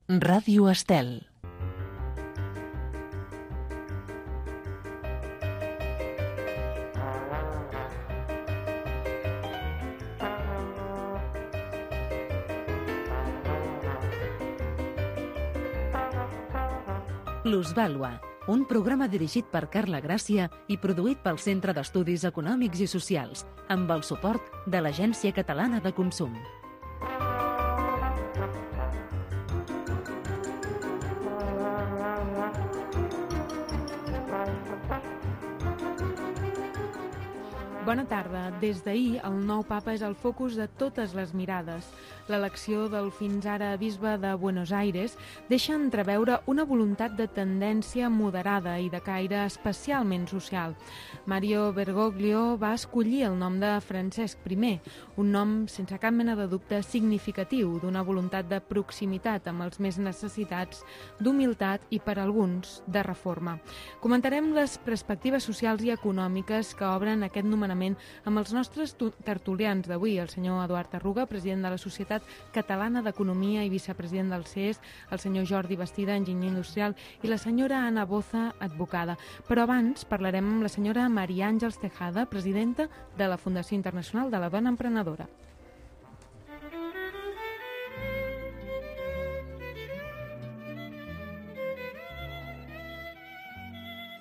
Ràdio Estel. Plusvàlua, un programa dirigit per Carla Gràcia i produït pel Centre d'Estudis Econòmics i Socials, amb el suport de l'Agència Catalana de Consum. Bona tarda. Des d'ahir, el nou papa és el focus de totes les mirades. L'elecció del fins ara bisbe de Buenos Aires deixa entreveure una voluntat de tendència moderada i de caire especialment social. Mario Bergoglio va escollir el nom de Francesc I, un nom sense cap mena de dubte significatiu d'una voluntat de proximitat amb els més necessitats, d'humilitat i, per alguns, de reforma. Comentarem les perspectives socials i econòmiques que obren aquest nomenament amb els nostres tertulians d'avui, el senyor Eduard Arruga, president de la Societat Catalana d'Economia i vicepresident del CES, el senyor Jordi Bastida, enginyer industrial, i la senyora Ana Boza, advocada. Però abans parlarem amb la senyora Maria Àngels Tejada, presidenta de la Fundació Internacional de la Dona Emprenedora.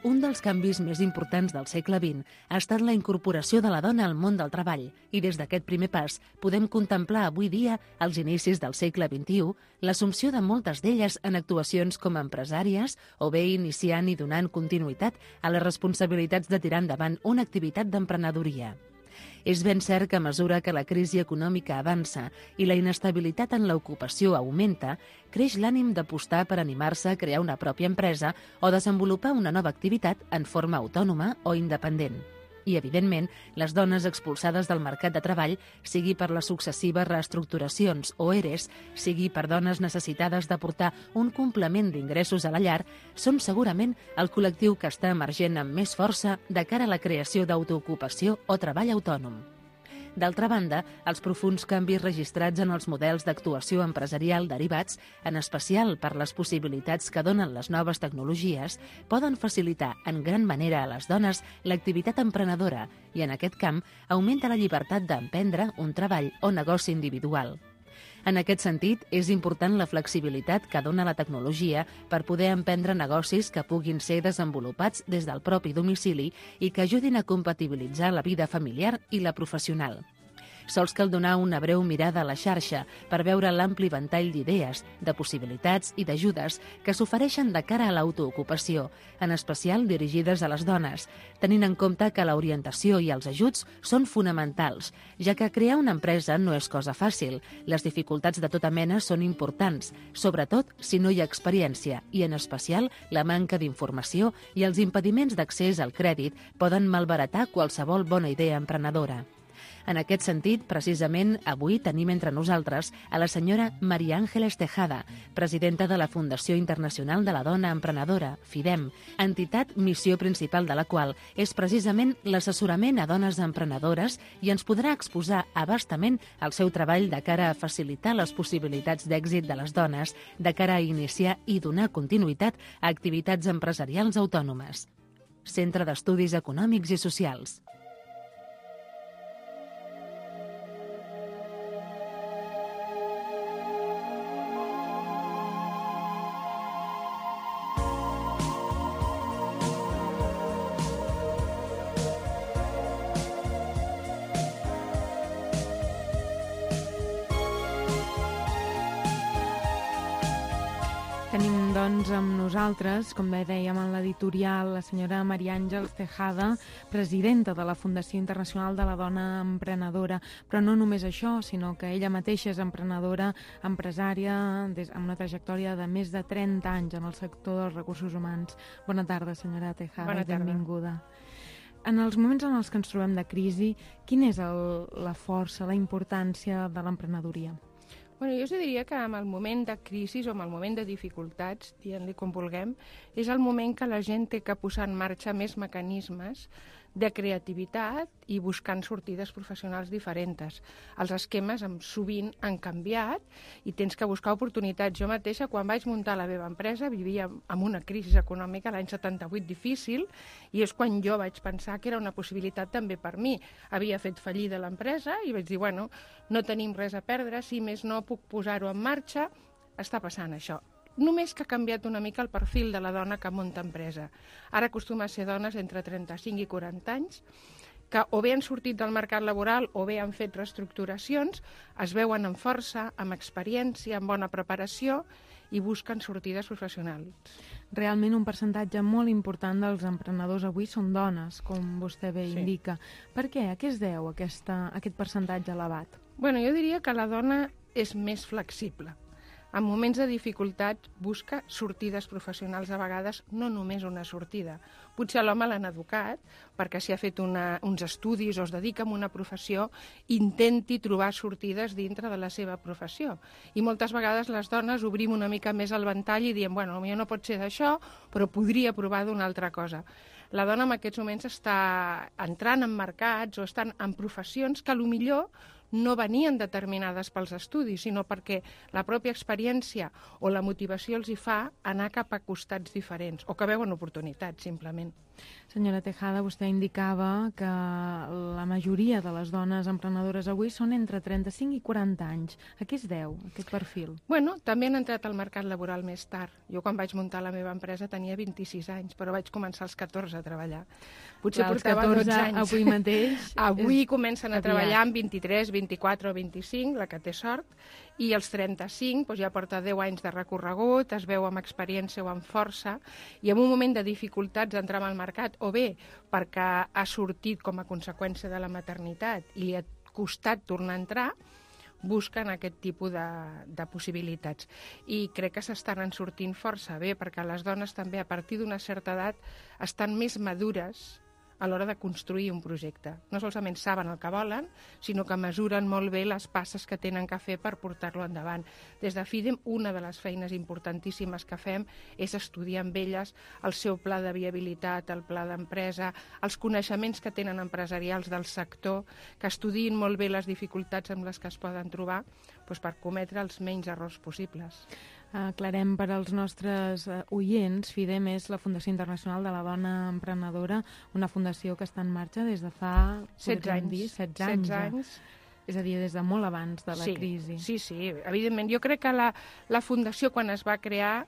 Un dels canvis més importants del segle XX ha estat la incorporació de la dona al món del treball i des d'aquest primer pas podem contemplar avui dia, als inicis del segle XXI, l'assumpció de moltes d'elles en actuacions com a empresàries o bé iniciant i donant continuïtat a les responsabilitats de tirar endavant una activitat d'emprenedoria. És ben cert que a mesura que la crisi econòmica avança i la inestabilitat en l'ocupació augmenta, creix l'ànim d'apostar per animar-se a crear una pròpia empresa o desenvolupar una nova activitat en forma autònoma o independent. I, evidentment, les dones expulsades del mercat de treball, sigui per les successives reestructuracions o ERES, sigui per dones necessitades d'aportar un complement d'ingressos a la llar, són segurament el col·lectiu que està emergent amb més força de cara a la creació d'autoocupació o treball autònom. D'altra banda, els profunds canvis registrats en els models d'actuació empresarial derivats, en especial per les possibilitats que donen les noves tecnologies, poden facilitar en gran manera a les dones l'activitat emprenedora i, en aquest camp, augmenta la llibertat d'emprendre un treball o negoci individual. En aquest sentit, és important la flexibilitat que dona la tecnologia per poder emprendre negocis que puguin ser desenvolupats des del propi domicili i que ajudin a compatibilitzar la vida familiar i la professional. Sols cal donar una breu mirada a la xarxa per veure l'ampli ventall d'idees, de possibilitats i d'ajudes que s'ofereixen de cara a l'autoocupació, en especial dirigides a les dones, tenint en compte que l'orientació i els ajuts són fonamentals, ja que crear una empresa no és cosa fàcil. Les dificultats de tota mena són importants, sobretot si no hi ha experiència i, en especial, la manca d'informació i els impediments d'accés al crèdit poden malbaratar qualsevol bona idea emprenedora. En aquest sentit, precisament, avui tenim entre nosaltres a la senyora Maria Àngels Tejada, presidenta de la Fundació Internacional de la Dona Emprenedora, FIDEM, entitat missió principal de la qual és precisament l'assessorament a dones emprenedores i ens podrà exposar abastament el seu treball de cara a facilitar les possibilitats d'èxit de les dones, de cara a iniciar i donar continuïtat a activitats empresarials autònomes. Centre d'Estudis Econòmics i Socials. Tenim, doncs, amb nosaltres, com bé dèiem en l'editorial, la senyora Maria Àngels Tejada, presidenta de la Fundació Internacional de la Dona Emprenedora. Però no només això, sinó que ella mateixa és emprenedora, empresària, amb una trajectòria de més de 30 anys en el sector dels recursos humans. Bona tarda, senyora Tejada. Bona tarda. Benvinguda. En els moments en els que ens trobem de crisi, quina és la força, la importància de l'emprenedoria? Bueno, jo us diria que en el moment de crisi o en el moment de dificultats, dient-li com vulguem, és el moment que la gent té que posar en marxa més mecanismes de creativitat i buscant sortides professionals diferents. Els esquemes sovint han canviat i tens que buscar oportunitats. Jo mateixa, quan vaig muntar la meva empresa, vivia amb una crisi econòmica l'any 78 difícil, i és quan jo vaig pensar que era una possibilitat també per mi. Havia fet fallida l'empresa i vaig dir, bueno, no tenim res a perdre, si més no puc posar-ho en marxa, està passant això. Només que ha canviat una mica el perfil de la dona que munta empresa. Ara acostuma a ser dones entre 35 i 40 anys, que o bé han sortit del mercat laboral o bé han fet reestructuracions, es veuen amb força, amb experiència, amb bona preparació i busquen sortides professionals. Realment un percentatge molt important dels emprenedors avui són dones, com vostè bé indica. Per què? A què es deu aquest percentatge elevat? Bueno, jo diria que la dona és més flexible. En moments de dificultat busca sortides professionals, a vegades no només una sortida. Potser l'home l'han educat perquè si ha fet uns estudis o es dedica a una professió, intenti trobar sortides dintre de la seva professió. I moltes vegades les dones obrim una mica més el ventall i diem, bueno, potser no pot ser d'això, però podria provar d'una altra cosa. La dona en aquests moments està entrant en mercats o estan en professions que potser no venien determinades pels estudis, sinó perquè la pròpia experiència o la motivació els hi fa anar cap a costats diferents o que veuen oportunitats, simplement. Senyora Tejada, vostè indicava que la majoria de les dones emprenedores avui són entre 35 i 40 anys. A què es deu, aquest perfil? Bueno, també han entrat al mercat laboral més tard. Jo quan vaig muntar la meva empresa tenia 26 anys, però vaig començar als 14 a treballar. Potser portava 12 anys. Avui mateix... Avui comencen a treballar amb 23, 24 o 25, la que té sort, i als 35 ja porta 10 anys de recorregut, es veu amb experiència o amb força, i en un moment de dificultats d'entrar al mercat, o bé perquè ha sortit com a conseqüència de la maternitat i li ha costat tornar a entrar, busquen aquest tipus de possibilitats. I crec que s'estan sortint força bé, perquè les dones també a partir d'una certa edat estan més madures a l'hora de construir un projecte. No solament saben el que volen, sinó que mesuren molt bé les passes que tenen que fer per portar-lo endavant. Des de FIDEM, una de les feines importantíssimes que fem és estudiar amb elles el seu pla de viabilitat, el pla d'empresa, els coneixements que tenen empresarials del sector, que estudiïn molt bé les dificultats amb les que es poden trobar per cometre els menys errors possibles. Aclarem per als nostres oients, FIDEM és la Fundació Internacional de la Dona Emprenedora, una fundació que està en marxa des de fa 16 anys. És a dir, des de molt abans de la crisi. Sí, evidentment. Jo crec que la fundació, quan es va crear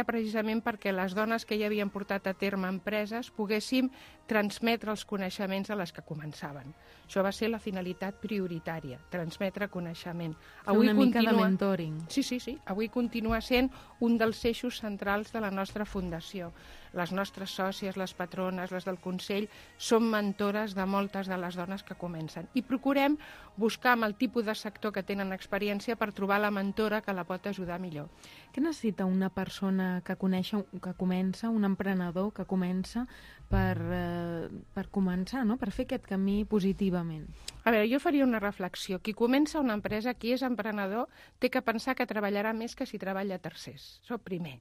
precisament perquè les dones que ja havien portat a terme empreses poguéssim transmetre els coneixements a les que començaven. Això va ser la finalitat prioritària, transmetre coneixement. Una mica de mentoring. Sí. Avui continua sent un dels eixos centrals de la nostra fundació. Les nostres sòcies, les patrones, les del Consell, són mentores de moltes de les dones que comencen. I procurem buscar amb el tipus de sector que tenen experiència per trobar la mentora que la pot ajudar millor. Què necessita una persona que comença, un emprenedor que comença per començar, no? Per fer aquest camí positivament? A veure, jo faria una reflexió. Qui comença una empresa, qui és emprenedor, té que pensar que treballarà més que si treballa a tercers. Això primer.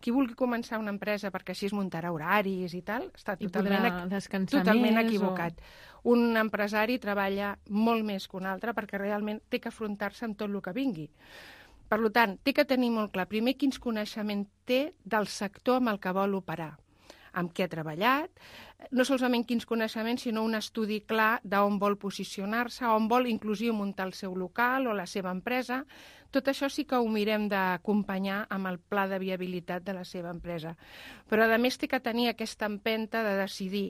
Qui vulgui començar una empresa perquè així es muntarà horaris i tal, està totalment equivocat. Un empresari treballa molt més que un altre perquè realment té que afrontar-se amb tot el que vingui. Per tant, té que tenir molt clar, primer, quins coneixements té del sector amb el que vol operar, amb què ha treballat, no solament quins coneixements, sinó un estudi clar d'on vol posicionar-se, on vol inclusive muntar el seu local o la seva empresa. Tot això sí que ho mirem d'acompanyar amb el pla de viabilitat de la seva empresa. Però, a més, té que tenir aquesta empenta de decidir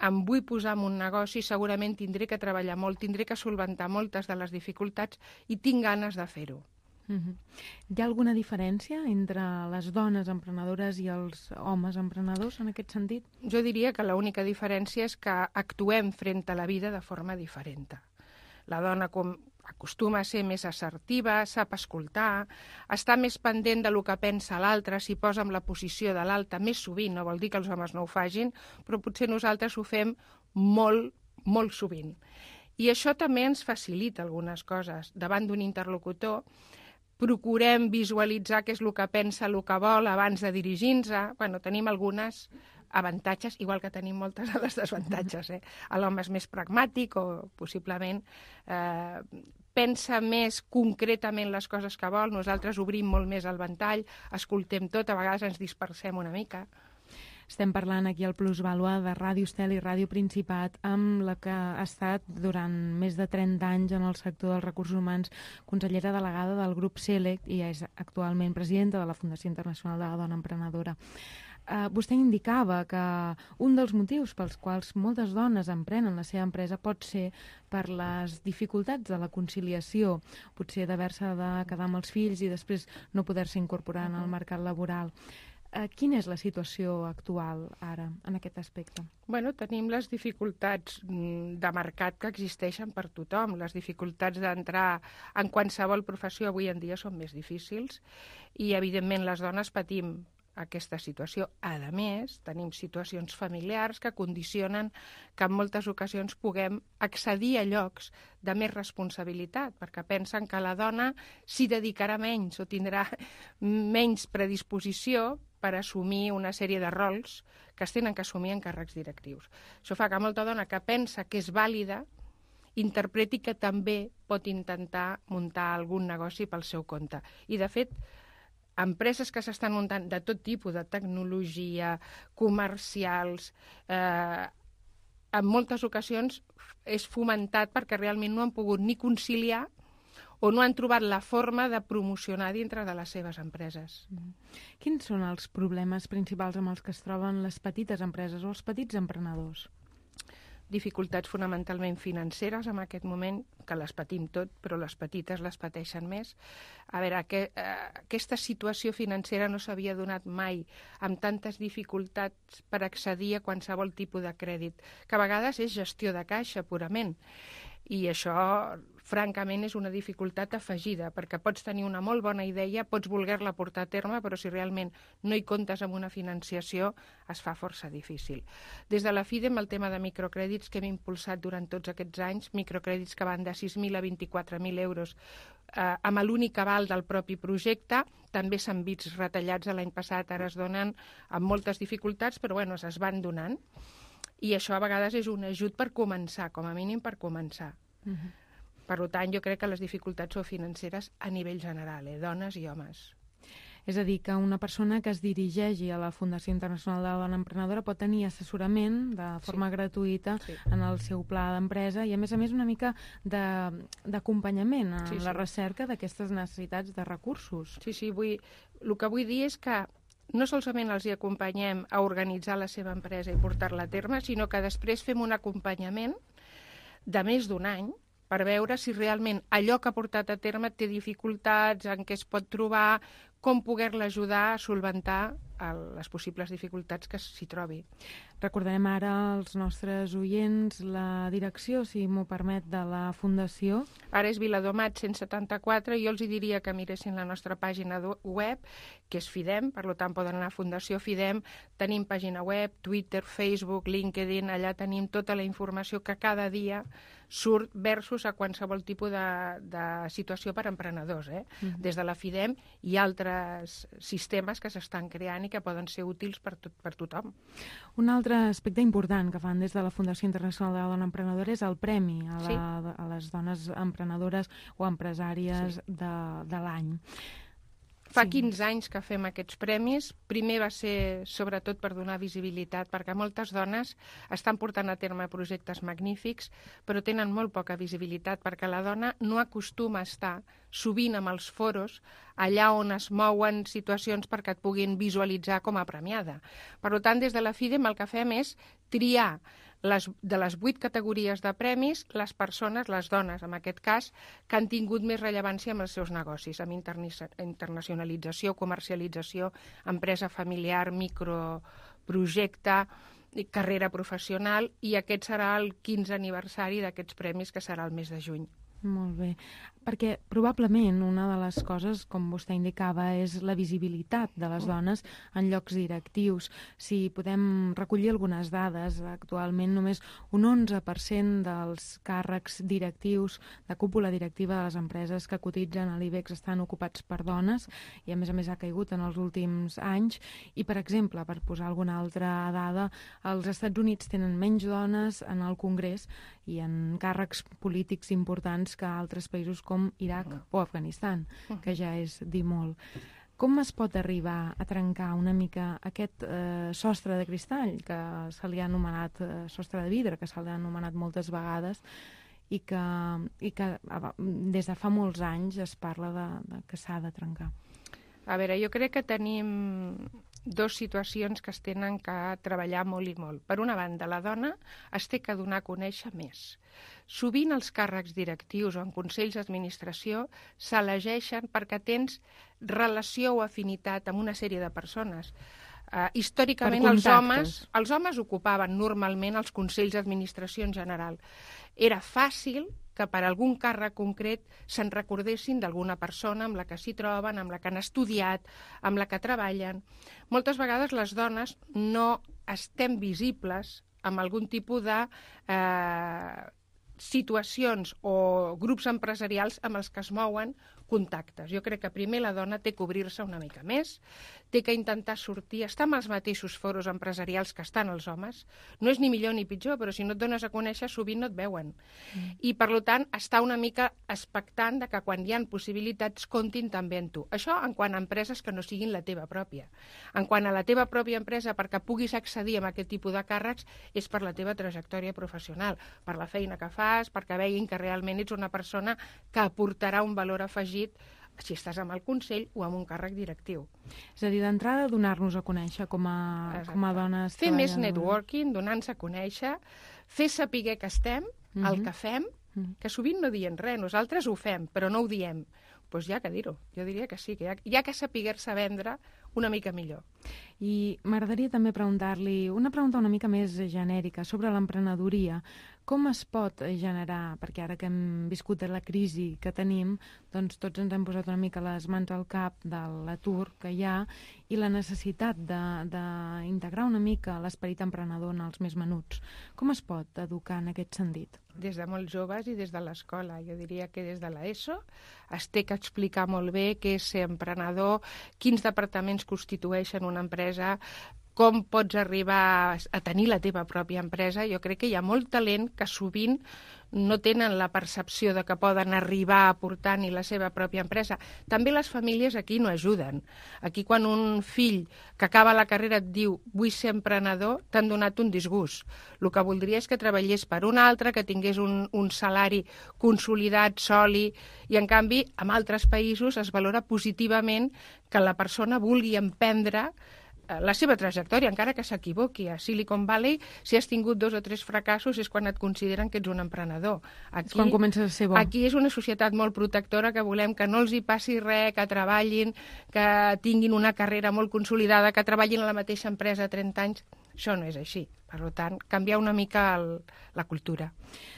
em vull posar en un negoci, segurament tindré que treballar molt, tindré que solventar moltes de les dificultats i tinc ganes de fer-ho. Hi ha alguna diferència entre les dones emprenedores i els homes emprenedors en aquest sentit? Jo diria que l'única diferència és que actuem front a la vida de forma diferent. La dona acostuma a ser més assertiva, sap escoltar, està més pendent del que pensa l'altre, s'hi posa en la posició de l'altre més sovint, no vol dir que els homes no ho facin, però potser nosaltres ho fem molt, molt sovint. I això també ens facilita algunes coses. Davant d'un interlocutor, procurem visualitzar què és el que pensa, el que vol, abans de dirigir-nos. Tenim algunes avantatges, igual que tenim moltes de les desavantatges. L'home és més pragmàtic o possiblement pensa més concretament les coses que vol. Nosaltres obrim molt més el ventall, escoltem tot, a vegades ens dispersem una mica. Estem parlant aquí al Plusvàlua de Ràdio Estel i Ràdio Principat, amb la que ha estat durant més de 30 anys en el sector dels recursos humans, consellera delegada del grup Select i és actualment presidenta de la Fundació Internacional de la Dona Emprenedora. Vostè indicava que un dels motius pels quals moltes dones emprenen la seva empresa pot ser per les dificultats de la conciliació, potser d'haver-se de quedar amb els fills i després no poder-se incorporar en el mercat laboral. Quina és la situació actual ara en aquest aspecte? Bueno, tenim les dificultats de mercat que existeixen per tothom. Les dificultats d'entrar en qualsevol professió avui en dia són més difícils i, evidentment, les dones patim aquesta situació. A més, tenim situacions familiars que condicionen que en moltes ocasions puguem accedir a llocs de més responsabilitat, perquè pensen que la dona s'hi dedicarà menys o tindrà menys predisposició per assumir una sèrie de rols que es tenen que assumir en càrrecs directius. Això fa que molta dona que pensa que és vàlida interpreti que també pot intentar muntar algun negoci pel seu compte. I, de fet, empreses que s'estan muntant de tot tipus, de tecnologia, comercials, en moltes ocasions és fomentat perquè realment no han pogut ni conciliar o no han trobat la forma de promocionar dintre de les seves empreses. Quins són els problemes principals amb els que es troben les petites empreses o els petits emprenedors? Dificultats fonamentalment financeres en aquest moment, que les patim tot, però les petites les pateixen més. A veure, aquesta situació financera no s'havia donat mai amb tantes dificultats per accedir a qualsevol tipus de crèdit, que a vegades és gestió de caixa purament. I això, francament, és una dificultat afegida, perquè pots tenir una molt bona idea, pots voler-la portar a terme, però si realment no hi comptes amb una financiació, es fa força difícil. Des de la FIDEM, el tema de microcrèdits que hem impulsat durant tots aquests anys, microcrèdits que van de 6.000 a 24.000 euros, amb l'únic aval del propi projecte, també s'han vist retallats l'any passat, ara es donen amb moltes dificultats, però bueno, es van donant. I això a vegades és un ajut per començar, com a mínim per començar. Per tant, jo crec que les dificultats són financeres a nivell general, dones i homes. És a dir, que una persona que es dirigeixi a la Fundació Internacional de la Dona Emprenedora pot tenir assessorament de forma gratuïta en el seu pla d'empresa i, a més, una mica d'acompanyament en la recerca d'aquestes necessitats de recursos. Sí, el que vull dir és que no solament els hi acompanyem a organitzar la seva empresa i portar-la a terme, sinó que després fem un acompanyament de més d'un any per veure si realment allò que ha portat a terme té dificultats, en què es pot trobar, com poder-la ajudar a solventar les possibles dificultats que s'hi trobi. Recordarem ara als nostres oients la direcció, si m'ho permet, de la Fundació. Ara és Viladomat 174, i jo els diria que miressin la nostra pàgina web, que és FIDEM, per tant poden anar a Fundació FIDEM, tenim pàgina web, Twitter, Facebook, LinkedIn, allà tenim tota la informació que cada dia surt versus a qualsevol tipus de situació per emprenedors, des de la FIDEM i altres sistemes que s'estan creant i que poden ser útils per tothom. Un altre aspecte important que fan des de la Fundació Internacional de la Dona Emprenedora és el premi a les dones emprenedores o empresàries de l'any. Fa 15 anys que fem aquests premis. Primer va ser sobretot per donar visibilitat, perquè moltes dones estan portant a terme projectes magnífics, però tenen molt poca visibilitat, perquè la dona no acostuma a estar sovint amb els foros allà on es mouen situacions perquè et puguin visualitzar com a premiada. Per tant, des de la FIDEM el que fem és triar de les 8 categories de premis, les persones, les dones en aquest cas, que han tingut més rellevància amb els seus negocis, amb internacionalització, comercialització, empresa familiar, microprojecte, carrera professional, i aquest serà el 15è aniversari d'aquests premis, que serà el mes de juny. Molt bé, perquè probablement una de les coses, com vostè indicava, és la visibilitat de les dones en llocs directius. Si podem recollir algunes dades, actualment només un 11% dels càrrecs directius, de cúpula directiva de les empreses que cotitzen a l'IBEX estan ocupats per dones, i a més ha caigut en els últims anys. I, per exemple, per posar alguna altra dada, els Estats Units tenen menys dones en el Congrés i en càrrecs polítics importants que altres països com Iraq o Afganistan, que ja és dir molt. Com es pot arribar a trencar una mica aquest sostre de cristall, que se li ha anomenat sostre de vidre, que se li ha anomenat moltes vegades, i que des de fa molts anys es parla que s'ha de trencar? A veure, jo crec que tenim dues situacions que es tenen que treballar molt i molt. Per una banda, la dona es té que donar a conèixer més. Sovint els càrrecs directius o en consells d'administració s'elegeixen perquè tens relació o afinitat amb una sèrie de persones. Històricament els homes ocupaven normalment els consells d'administració en general. Era fàcil que per algun càrrec concret se'n recordessin d'alguna persona amb la que s'hi troben, amb la que han estudiat, amb la que treballen. Moltes vegades les dones no estem visibles amb algun tipus de situacions o grups empresarials amb els que es mouen contactes. Jo crec que primer la dona té que obrir-se una mica més, té que intentar sortir, estar amb els mateixos foros empresarials que estan els homes. No és ni millor ni pitjor, però si no et dones a conèixer sovint no et veuen. I per tant estar una mica expectant de que quan hi ha possibilitats comptin també en tu. Això en quant a empreses que no siguin la teva pròpia. En quant a la teva pròpia empresa, perquè puguis accedir a aquest tipus de càrrecs, és per la teva trajectòria professional, per la feina que fas, perquè veguin que realment ets una persona que aportarà un valor afegit si estàs amb el Consell o amb un càrrec directiu. És a dir, d'entrada donar-nos a conèixer com a dones. Fer més networking, donar-nos a conèixer, fer saber que estem, el que fem, que sovint no diem res, nosaltres ho fem, però no ho diem. Doncs ja que dir-ho, jo diria que sí, que hi ha que saber-se vendre una mica millor. I m'agradaria també preguntar-li una pregunta una mica més genèrica sobre l'emprenedoria. Com es pot generar, perquè ara que hem viscut la crisi que tenim, doncs tots ens hem posat una mica les mans al cap de l'atur que hi ha i la necessitat d'integrar una mica l'esperit emprenedor en els més menuts. Com es pot educar en aquest sentit? Des de molt joves i des de l'escola. Jo diria que des de l'ESO es té que explicar molt bé què és ser emprenedor, quins departaments constitueixen una empresa, com pots arribar a tenir la teva pròpia empresa. Jo crec que hi ha molt talent que sovint no tenen la percepció de que poden arribar a portar ni la seva pròpia empresa. També les famílies aquí no ajuden. Aquí quan un fill que acaba la carrera et diu vull ser emprenedor, t'han donat un disgust. El que voldria és que treballés per un altre, que tingués un salari consolidat, sòlid, i en canvi en altres països es valora positivament que la persona vulgui emprendre la seva trajectòria, encara que s'equivoqui. A Silicon Valley, si has tingut 2 o 3 fracassos, és quan et consideren que ets un emprenedor. Aquí, és quan comences a ser bo. Aquí és una societat molt protectora, que volem que no els hi passi res, que treballin, que tinguin una carrera molt consolidada, que treballin a la mateixa empresa 30 anys. Això no és així. Per tant, canviar una mica la cultura.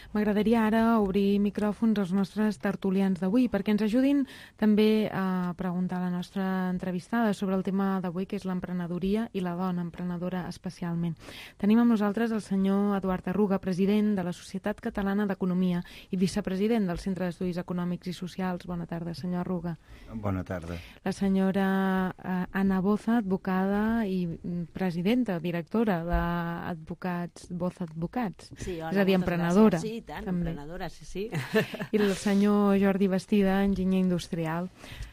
M'agradaria ara obrir micròfons als nostres tertulians d'avui perquè ens ajudin també a preguntar a la nostra entrevistada sobre el tema d'avui, que és l'emprenedoria i la dona emprenedora especialment. Tenim amb nosaltres el senyor Eduard Arruga, president de la Societat Catalana d'Economia i vicepresident del Centre d'Estudis Econòmics i Socials. Bona tarda, senyor Arruga. Bona tarda. La senyora Ana Boza, advocada i presidenta, directora d'Advocats Boza Advocats. Sí, és a dir, emprenedora. Sí, i tant, també. Emprenedora, sí. I el senyor Jordi Bastida, enginyer industrial.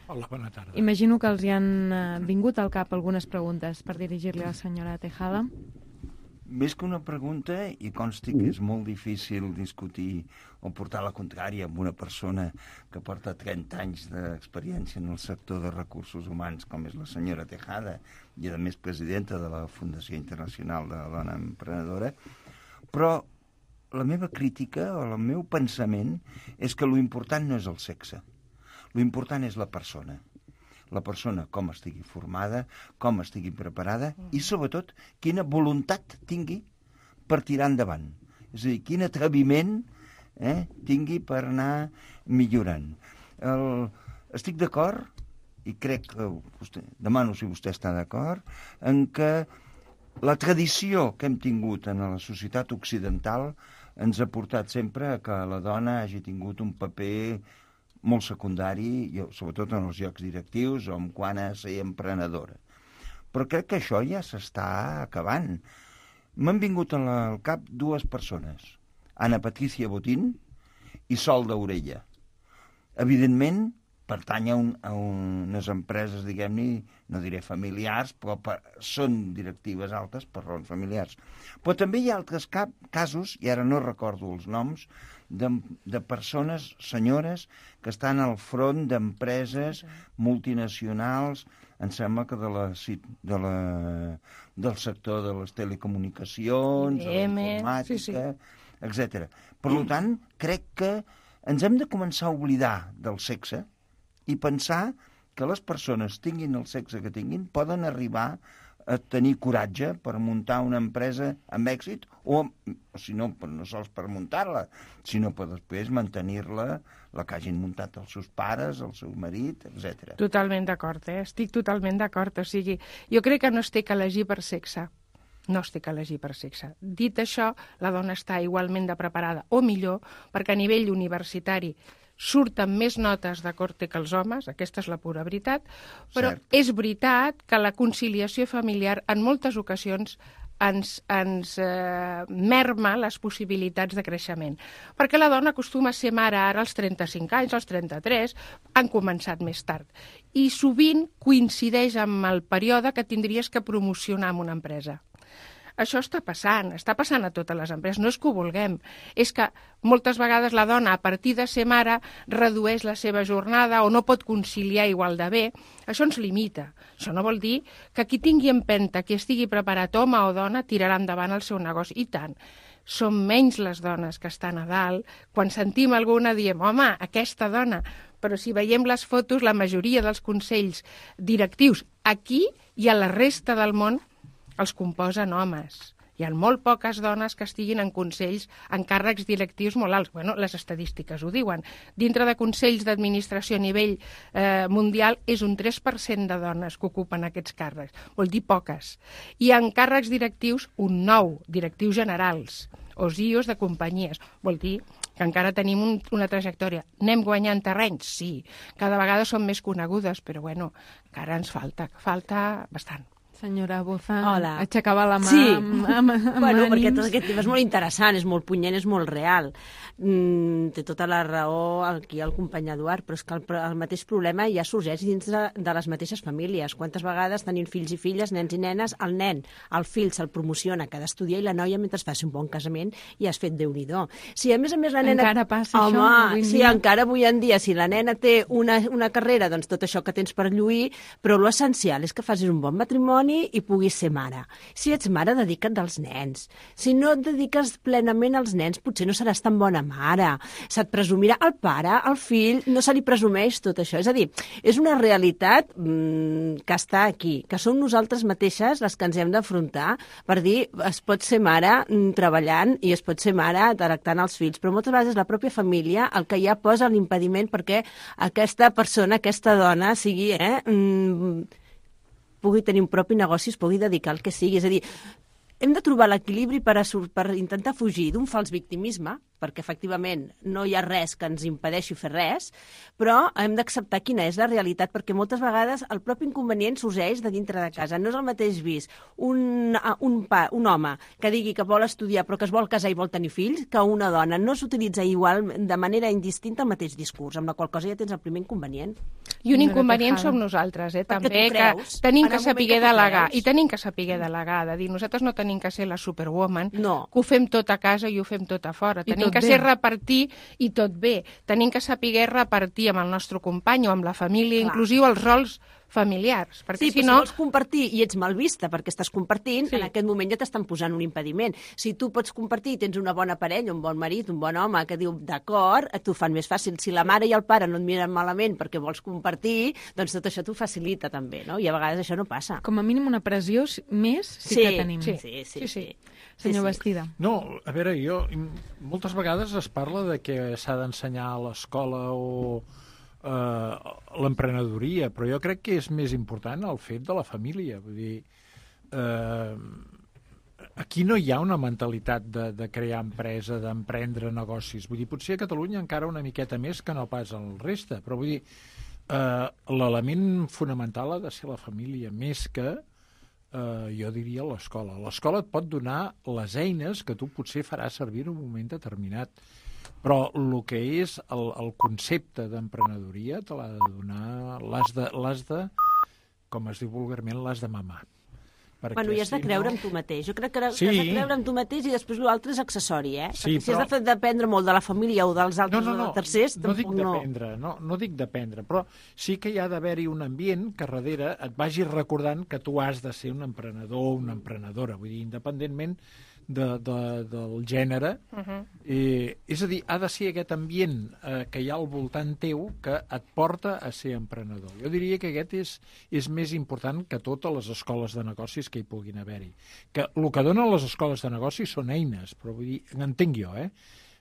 Hola, bona tarda. Imagino que els hi han vingut al cap algunes preguntes per dirigir-li a la senyora Tejada. Més que una pregunta, i consti que és molt difícil discutir o portar la contrària amb una persona que porta 30 anys d'experiència en el sector de recursos humans, com és la senyora Tejada, i a més presidenta de la Fundació Internacional de la Dona Emprenedora, però la meva crítica o el meu pensament és que l'important no és el sexe. L'important és la persona. La persona com estigui formada, com estigui preparada i, sobretot, quina voluntat tingui per tirar endavant. És a dir, quin atreviment tingui per anar millorant. Estic d'acord, i crec que demano si vostè està d'acord, en que la tradició que hem tingut en la societat occidental ens ha portat sempre a que la dona hagi tingut un paper molt secundari, sobretot en els llocs directius o en quant a ser emprenedora. Però crec que això ja s'està acabant. M'han vingut al cap dues persones, Ana Patricia Botín i Sol d'Orella. Evidentment, pertany a unes empreses, diguem-ne, no diré familiars, però són directives altes per raons familiars. Però també hi ha altres casos, i ara no recordo els noms, de persones, senyores, que estan al front d'empreses multinacionals, em sembla que del sector de les telecomunicacions, de la informàtica, etc. Per tant, crec que ens hem de començar a oblidar del sexe i pensar que les persones, tinguin el sexe que tinguin, poden arribar a tenir coratge per muntar una empresa amb èxit, o si no, no sols per muntar-la, sinó per després mantenir-la, la que hagin muntat els seus pares, el seu marit, etc. Totalment d'acord, estic totalment d'acord. O sigui, jo crec que no es té que elegir per sexe. No es té que elegir per sexe. Dit això, la dona està igualment de preparada, o millor, perquè a nivell universitari surten més notes de corte que els homes, aquesta és la pura veritat, però és veritat que la conciliació familiar en moltes ocasions ens merma les possibilitats de creixement. Perquè la dona acostuma a ser mare ara als 35 anys, als 33, han començat més tard. I sovint coincideix amb el període que tindries que promocionar en una empresa. Això està passant a totes les empreses, no és que ho vulguem, és que moltes vegades la dona, a partir de ser mare, redueix la seva jornada o no pot conciliar igual de bé. Això ens limita. Això no vol dir que qui tingui empenta, qui estigui preparat, home o dona, tirarà endavant el seu negoci. I tant. Són menys les dones que estan a dalt. Quan sentim alguna diem, home, aquesta dona. Però si veiem les fotos, la majoria dels consells directius aquí i a la resta del món els composen homes. Hi ha molt poques dones que estiguin en consells, en càrrecs directius molt alts. Bueno, les estadístiques ho diuen. Dintre de consells d'administració a nivell mundial és un 3% de dones que ocupen aquests càrrecs. Vol dir poques. I en càrrecs directius, un 9, directius generals, o CEOs de companyies. Vol dir que encara tenim una trajectòria. Anem guanyant terreny? Sí. Cada vegada som més conegudes, però bueno, encara ens falta bastant. Senyora Boza, hola. Aixecava la mà amb ànims. Perquè tot aquest tema és molt interessant, és molt punyent, és molt real. Té tota la raó aquí el company Eduard, però és que el mateix problema ja sorgeix dins de les mateixes famílies. Quantes vegades tenint fills i filles, nens i nenes, el fill se'l promociona, que ha d'estudiar, i la noia mentre faci un bon casament i has fet Déu-n'hi-do. Si a més la nena... Encara passa això? Sí, encara avui en dia, si la nena té una carrera, doncs tot això que tens per lluir, però l'essencial és que facis un bon matrimoni i puguis ser mare. Si ets mare, dedica't als nens. Si no et dediques plenament als nens, potser no seràs tan bona mare. Se't presumirà el pare, el fill, no se li presumeix tot això. És a dir, és una realitat que està aquí, que som nosaltres mateixes les que ens hem d'afrontar per dir, es pot ser mare treballant i es pot ser mare tractant els fills, però moltes vegades és la pròpia família el que ja posa l'impediment perquè aquesta persona, aquesta dona, sigui... pugui tenir un propi negoci, es pugui dedicar al que sigui. És a dir, hem de trobar l'equilibri per intentar fugir d'un fals victimisme, perquè efectivament no hi ha res que ens impedeixi fer res, però hem d'acceptar quina és la realitat, perquè moltes vegades el propi inconvenient sorgeix de dintre de casa. No és el mateix vist un home que digui que vol estudiar però que es vol casar i vol tenir fills que una dona. No s'utilitza igual, de manera indistinta, el mateix discurs, amb la qual cosa ja tens el primer inconvenient. I un inconvenient som nosaltres, també, que tenim que saber delegar. I tenim que saber delegar, de dir, nosaltres no tenim que ser la superwoman, que ho fem tot a casa i ho fem tot a fora. Tenim que ser repartir i tot bé. Tenim que saber repartir amb el nostre company o amb la família, inclusiu els rols familiars. Perquè, si vols compartir i ets mal vista perquè estàs compartint, en aquest moment ja t'estan posant un impediment. Si tu pots compartir i tens una bona parella, un bon marit, un bon home que diu d'acord, t'ho fan més fàcil. Si la mare i el pare no et miren malament perquè vols compartir, doncs tot això t'ho facilita també, no? I a vegades això no passa. Com a mínim una pressió més que tenim. Sí. Senyor Bastida. No, a veure, moltes vegades es parla de que s'ha d'ensenyar a l'escola o l'emprenedoria, però jo crec que és més important el fet de la família. Vull dir, aquí no hi ha una mentalitat de crear empresa, d'emprendre negocis. Vull dir, potser a Catalunya encara una miqueta més que no pas el reste, però vull dir, l'element fonamental ha de ser la família, més que jo diria l'escola. L'escola et pot donar les eines que tu potser faràs servir en un moment determinat, però el que és el concepte d'emprenedoria te l'ha de donar, l'has de, com es diu vulgarment, l'has de mamar. Bueno, i has de creure en tu mateix. Jo crec que has de creure en tu mateix i després l'altre és accessori, eh? Sí, si has de dependre molt de la família o dels altres o dels tercers, no dic dependre, no dic dependre, però sí que hi ha d'haver-hi un ambient que darrere et vagi recordant que tu has de ser un emprenedor o una emprenedora, vull dir, independentment del gènere. És a dir, ha de ser aquest ambient que hi ha al voltant teu que et porta a ser emprenedor. Jo diria que aquest és més important que totes les escoles de negocis que hi puguin haver-hi. Que el que donen les escoles de negocis són eines, però vull dir, entenc jo,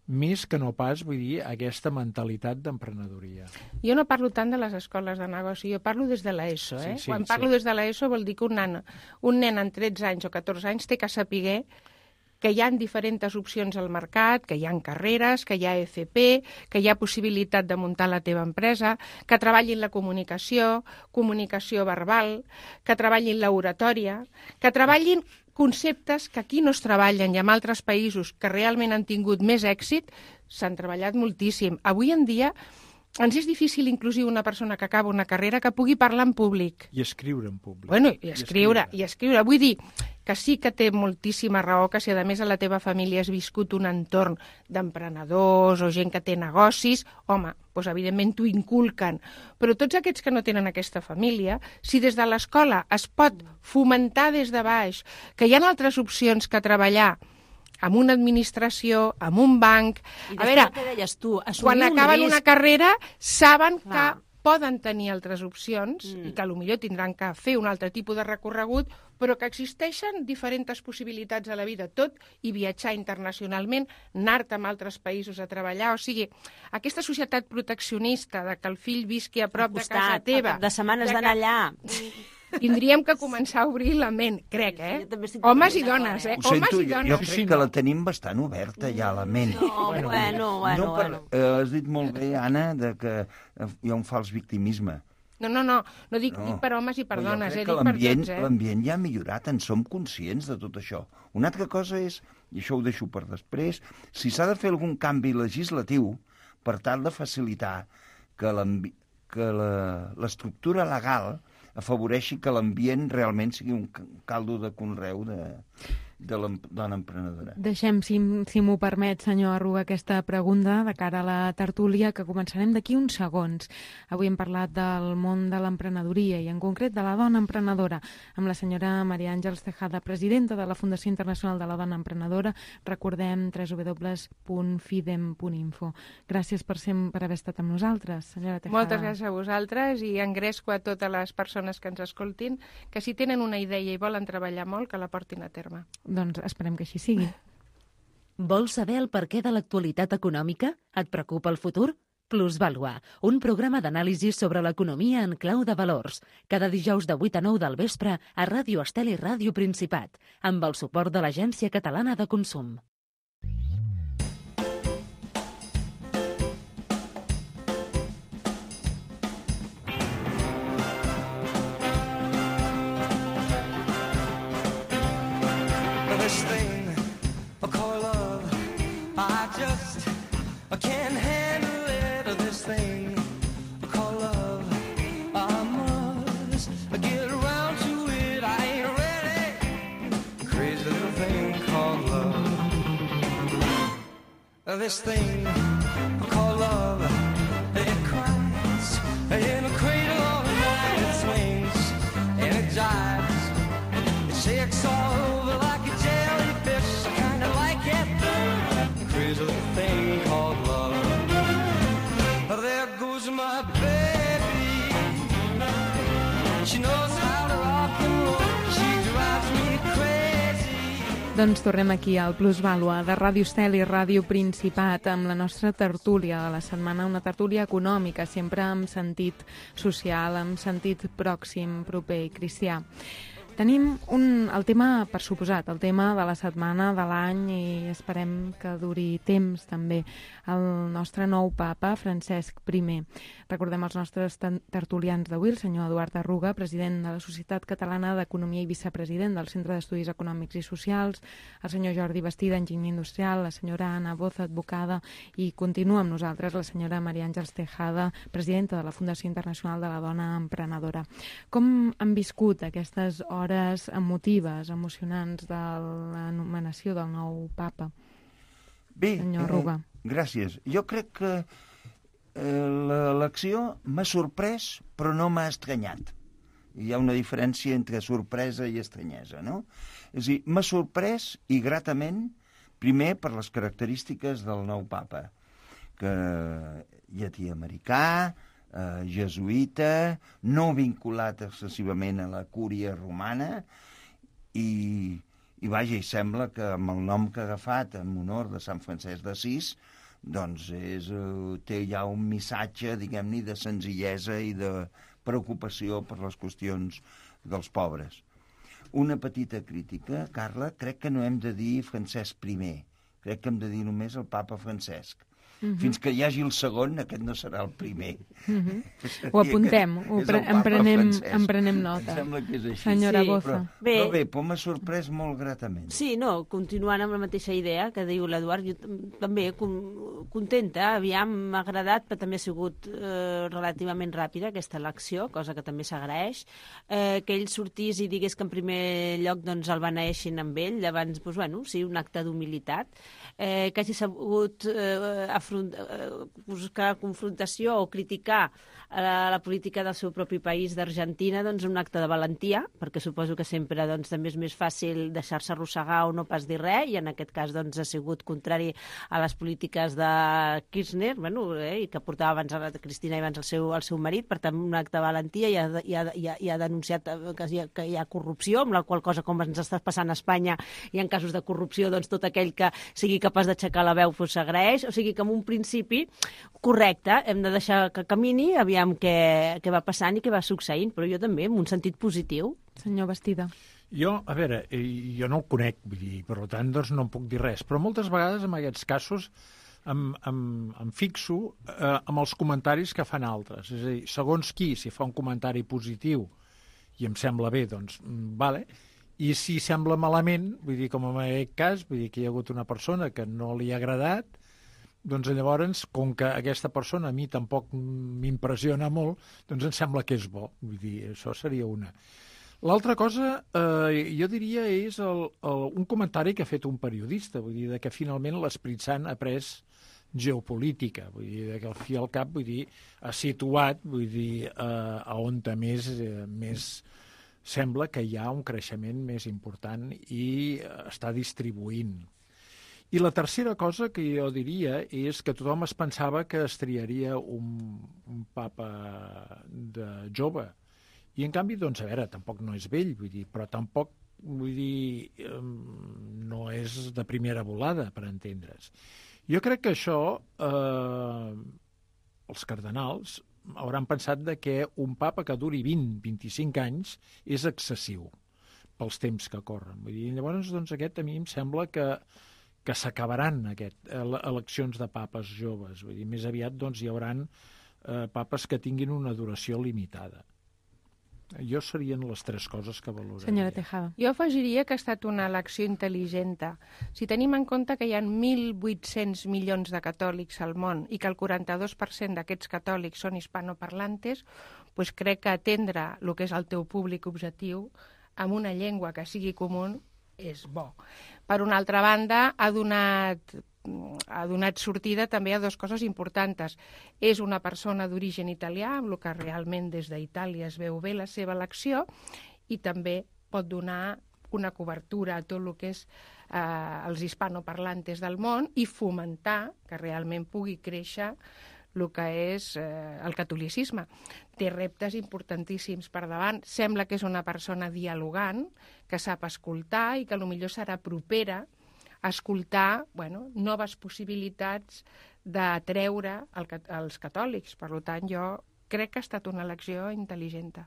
més que no pas, vull dir, aquesta mentalitat d'emprenedoria. Jo no parlo tant de les escoles de negoci, jo parlo des de l'ESO. Quan parlo des de l'ESO vol dir que un nen amb 13 anys o 14 anys té que saber que hi ha diferents opcions al mercat, que hi ha carreres, que hi ha FP, que hi ha possibilitat de muntar la teva empresa, que treballin la comunicació verbal, que treballin l'oratòria, que treballin conceptes que aquí no es treballen i en altres països que realment han tingut més èxit s'han treballat moltíssim. Avui en dia ens és difícil inclusive una persona que acaba una carrera que pugui parlar en públic. I escriure en públic. Bueno, i escriure. Vull dir que sí que té moltíssima raó que si a més a la teva família has viscut un entorn d'emprenedors o gent que té negocis, home, doncs evidentment t'ho inculquen. Però tots aquests que no tenen aquesta família, si des de l'escola es pot fomentar des de baix que hi ha altres opcions que treballar amb una administració, amb un banc... I després el que deies tu, quan acaben una carrera saben que poden tenir altres opcions i que potser tindran que fer un altre tipus de recorregut, però que existeixen diferents possibilitats a la vida, tot i viatjar internacionalment, anar-te a altres països a treballar, o sigui, aquesta societat proteccionista de que el fill visqui a prop de casa teva... De setmanes d'anar allà... Tindríem que començar a obrir la ment, crec, Homes i dones, Homes i dones. Jo crec que la tenim bastant oberta ja, la ment. Bueno. Has dit molt bé, Anna, que hi ha un fals victimisme. No dic per homes i per dones, dic per tots. L'ambient ja ha millorat, en som conscients de tot això. Una altra cosa és, i això ho deixo per després, si s'ha de fer algun canvi legislatiu per tal de facilitar que l'estructura legal afavoreixi que l'ambient realment sigui un caldo de conreu de la dona emprenedora. Deixem, si m'ho permet, senyor Arruga, aquesta pregunta de cara a la tertúlia, que començarem d'aquí uns segons. Avui hem parlat del món de l'emprenedoria i en concret de la dona emprenedora amb la senyora Maria Àngels Tejada, presidenta de la Fundació Internacional de la Dona Emprenedora. Recordem www.fidem.info. Gràcies per haver estat amb nosaltres, senyora Tejada. Moltes gràcies a vosaltres i engresco a totes les persones que ens escoltin que si tenen una idea i volen treballar molt, que la portin a terme. Doncs esperem que així sigui. Vols saber el perquè de l'actualitat econòmica? Et preocupa el futur? Plusvalua, un programa d'anàlisi sobre l'economia en clau de valors. Cada dijous de 8 a 9 del vespre a Ràdio Estel i Ràdio Principat, amb el suport de l'Agència Catalana de Consum. This thing I call love, I can't handle it. This thing I call love, I must get around to it. I ain't ready. Crazy little thing called love. This thing I call love, it cries in a cradle all night. It swings jives. They say it's all over like a jellyfish. I kinda like it, the crazy little thing called love. There goes my baby. She knows how to rock and roll. She drives me crazy. Doncs tornem aquí al Plusvàlua de Ràdio Estel i Ràdio Principat amb la nostra tertúlia de la setmana, una tertúlia econòmica, sempre amb sentit social, amb sentit pròxim, proper i cristià. Tenim el tema, per suposat, el tema de la setmana, de l'any, i esperem que duri temps també, el nostre nou papa, Francesc I. Recordem els nostres tertulians d'avui, el senyor Eduard Arruga, president de la Societat Catalana d'Economia i vicepresident del Centre d'Estudis Econòmics i Socials, el senyor Jordi Bastida, enginyer industrial, la senyora Anna Boza, advocada, i continua amb nosaltres la senyora Maria Àngels Tejada, presidenta de la Fundació Internacional de la Dona Emprenedora. Com han viscut aquestes hores emotives, emocionants de l'anomenació del nou papa? Bé, senyor Arruga. Gràcies. Jo crec que l'elecció m'ha sorprès, però no m'ha estranyat. Hi ha una diferència entre sorpresa i estranyesa, no? És a dir, m'ha sorprès i gratament, primer per les característiques del nou papa, que llatí americà, jesuïta, no vinculat excessivament a la cúria romana, i vaja, i sembla que amb el nom que ha agafat en honor de Sant Francesc d'Assís, doncs té ja un missatge, diguem-ne, de senzillesa i de preocupació per les qüestions dels pobres. Una petita crítica, Carla, crec que no hem de dir Francesc I, crec que hem de dir només el papa Francesc. Fins que hi hagi el segon, aquest no serà el primer. Ho apuntem, en prenem nota. Em sembla que és així. Senyora Boza. Però bé, m'ha sorprès molt gratament. Sí, no, continuant amb la mateixa idea que diu l'Eduard, jo també contenta, aviam, m'ha agradat, però també ha sigut relativament ràpida aquesta elecció, cosa que també s'agraeix, que ell sortís i digués que en primer lloc doncs, el beneeixin amb ell, llavors, doncs, bueno, sí, un acte d'humilitat, que hagi sabut buscar confrontació o criticar la política del seu propi país d'Argentina, doncs un acte de valentia, perquè suposo que sempre doncs, també és més fàcil deixar-se arrossegar o no pas dir res, i en aquest cas doncs, ha sigut contrari a les polítiques de Kirchner, bueno, i que portava abans a la Cristina i abans el seu marit, per tant un acte de valentia, i ha denunciat que hi ha corrupció, amb la qual cosa, com ens està passant a Espanya, i en casos de corrupció, doncs tot aquell que sigui capaç d'aixecar la veu s'agraeix, o sigui que en un principi correcte, hem de deixar que camini, aviam què va passant i què va succeint, però jo també, en un sentit positiu. Senyor Bastida. Jo, a veure, jo no el conec, vull dir, per tant, doncs no en puc dir res, però moltes vegades en aquests casos em fixo amb els comentaris que fan altres. És a dir, segons qui, si fa un comentari positiu i em sembla bé, doncs, vale, i si sembla malament, vull dir, com en aquest cas, vull dir que hi ha hagut una persona que no li ha agradat, doncs llavors, com que aquesta persona a mi tampoc m'impressiona molt, doncs em sembla que és bo. Vull dir, això seria una. L'altra cosa, jo diria, és un comentari que ha fet un periodista, vull dir, que finalment l'Esperit Sant ha pres geopolítica, vull dir, que al fi al cap, vull dir, ha situat, vull dir, a on més sembla que hi ha un creixement més important i està distribuint. I la tercera cosa que jo diria és que tothom es pensava que es triaria un papa jove. I en canvi, doncs, a veure, tampoc no és vell, vull dir, però tampoc, vull dir, no és de primera volada, per entendre's. Jo crec que això, els cardenals hauran pensat que un papa que duri 20-25 anys és excessiu pels temps que corren. Vull dir, llavors, doncs, aquest a mi em sembla que s'acabaran eleccions de papes joves. Vull dir, més aviat doncs, hi haurà papes que tinguin una duració limitada. Jo serien les tres coses que valoraria. Senyora Tejada. Jo afegiria que ha estat una elecció intel·ligent. Si tenim en compte que hi ha 1.800 milions de catòlics al món i que el 42% d'aquests catòlics són hispanoparlantes, doncs crec que atendre el que és el teu públic objectiu amb una llengua que sigui comú és bo. Per una altra banda, ha donat sortida també a dues coses importants. És una persona d'origen italià, amb el que realment des d'Itàlia es veu bé la seva elecció, i també pot donar una cobertura a tot el que és els hispanoparlantes del món i fomentar que realment pugui créixer el que és el catolicisme. Té reptes importantíssims per davant. Sembla que és una persona dialogant, que sap escoltar i que potser serà propera a escoltar noves possibilitats d'atreure els catòlics. Per tant, jo crec que ha estat una elecció intel·ligent.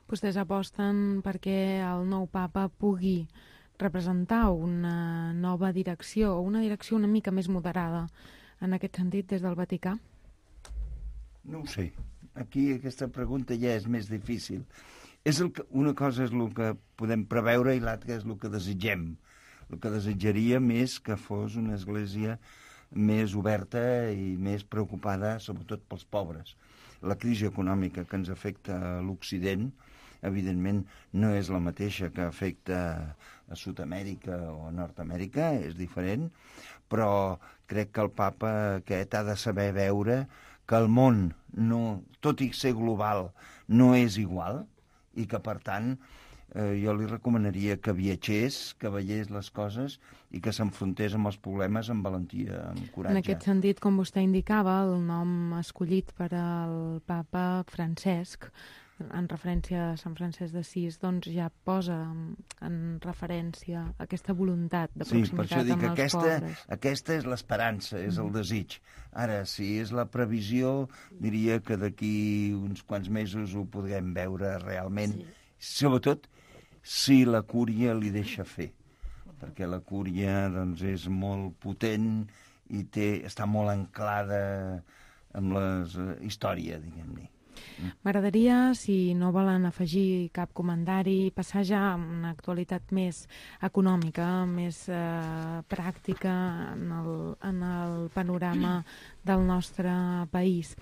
Vostès aposten perquè el nou papa pugui representar una nova direcció, o una direcció una mica més moderada en aquest sentit des del Vaticà? No ho sé. Aquí aquesta pregunta ja és més difícil. Una cosa és el que podem preveure i l'altra és el que desitgem. El que desitjaríem és que fos una església més oberta i més preocupada, sobretot pels pobres. La crisi econòmica que ens afecta a l'Occident, evidentment, no és la mateixa que afecta a Sud-amèrica o a Nord-amèrica, és diferent, però crec que el papa aquest ha de saber veure que el món, tot i ser global, no és igual i que, per tant, jo li recomanaria que viatgés, que veiés les coses i que s'enfrontés amb els problemes amb valentia, amb coratge. En aquest sentit, com vostè indicava, el nom escollit per al papa Francesc, en referència a Sant Francesc d'Assís, doncs ja posa en referència aquesta voluntat de proximitat amb els pobres. Sí, per això dic que aquesta és l'esperança, és el desig. Ara, si és la previsió, diria que d'aquí uns quants mesos ho podrem veure realment, sobretot si la cúria li deixa fer, perquè la cúria doncs, és molt potent i està molt anclada amb la història, diguem-ne. M'agradaria, si no volen afegir cap comentari, passar ja a una actualitat més econòmica, més pràctica en el panorama del nostre país.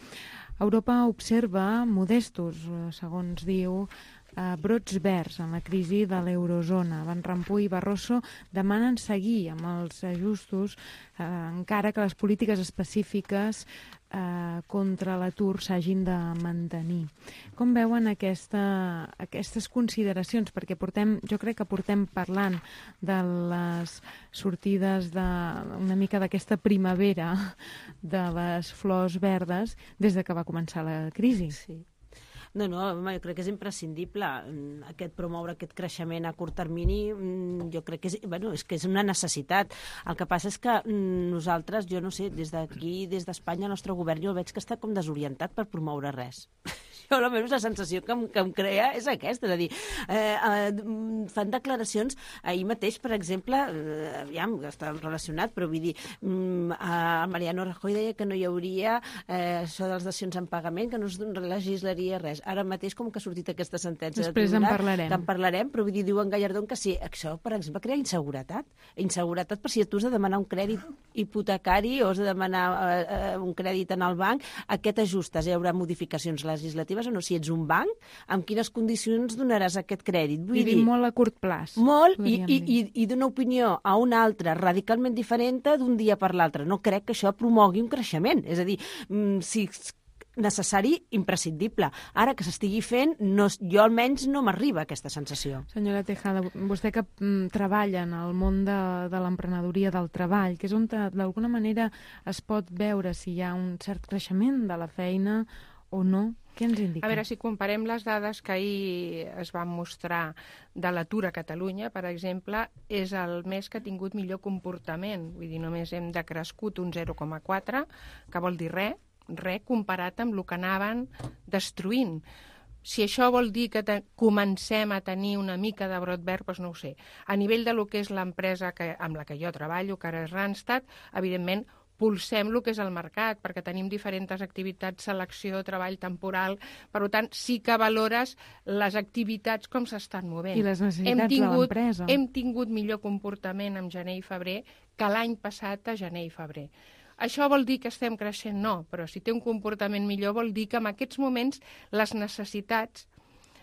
Europa observa modestos, segons diu, brots verds en la crisi de l'eurozona. Van Rompuy i Barroso demanen seguir amb els ajustos, encara que les polítiques específiques contra l'atur s'hagin de mantenir. Com veuen aquestes consideracions? Perquè jo crec que portem parlant de les sortides una mica d'aquesta primavera de les flors verdes des de que va començar la crisi. Sí. No, jo crec que és imprescindible promoure aquest creixement a curt termini. Jo crec que és una necessitat. El que passa és que nosaltres, jo no sé, des d'aquí, des d'Espanya, el nostre govern, jo el veig que està com desorientat per promoure res. Jo almenys la sensació que em crea és aquesta, és a dir, fan declaracions. Ahir mateix, per exemple, aviam, està relacionat, però vull dir, Mariano Rajoy deia que no hi hauria això de les dacions en pagament, que no es legislaria res. Ara mateix com que ha sortit aquesta sentència després de tribunal, en parlarem, però vull dir, diuen Gallardón que sí. Això, per exemple, crea inseguretat. Inseguretat per si tu has de demanar un crèdit hipotecari o has de demanar un crèdit en el banc, a què t'ajustes? Hi haurà modificacions legislatives o no? Si ets un banc, amb quines condicions donaràs aquest crèdit? Vull dir, molt a curt plaç. Molt, i d'una opinió a una altra radicalment diferent d'un dia per l'altre. No crec que això promogui un creixement. És a dir, si necessari, imprescindible. Ara que s'estigui fent, jo almenys no m'arriba aquesta sensació. Senyora Tejada, vostè que treballa en el món de l'emprenedoria del treball, que és on d'alguna manera es pot veure si hi ha un cert creixement de la feina o no, què ens indica? A veure, si comparem les dades que ahir es van mostrar de l'atur a Catalunya, per exemple, és el mes que ha tingut millor comportament. Vull dir, només hem decrescut un 0,4, que vol dir res comparat amb el que anaven destruint. Si això vol dir que comencem a tenir una mica de brot verd, doncs no ho sé. A nivell de lo que és l'empresa amb la que jo treballo, que ara és Randstad, evidentment pulsem el que és el mercat, perquè tenim diferents activitats, selecció, treball temporal, per tant, sí que valores les activitats com s'estan movent. I les necessitats de l'empresa. Hem tingut millor comportament en gener i febrer que l'any passat a gener i febrer. Això vol dir que estem creixent? No, però si té un comportament millor vol dir que en aquests moments les necessitats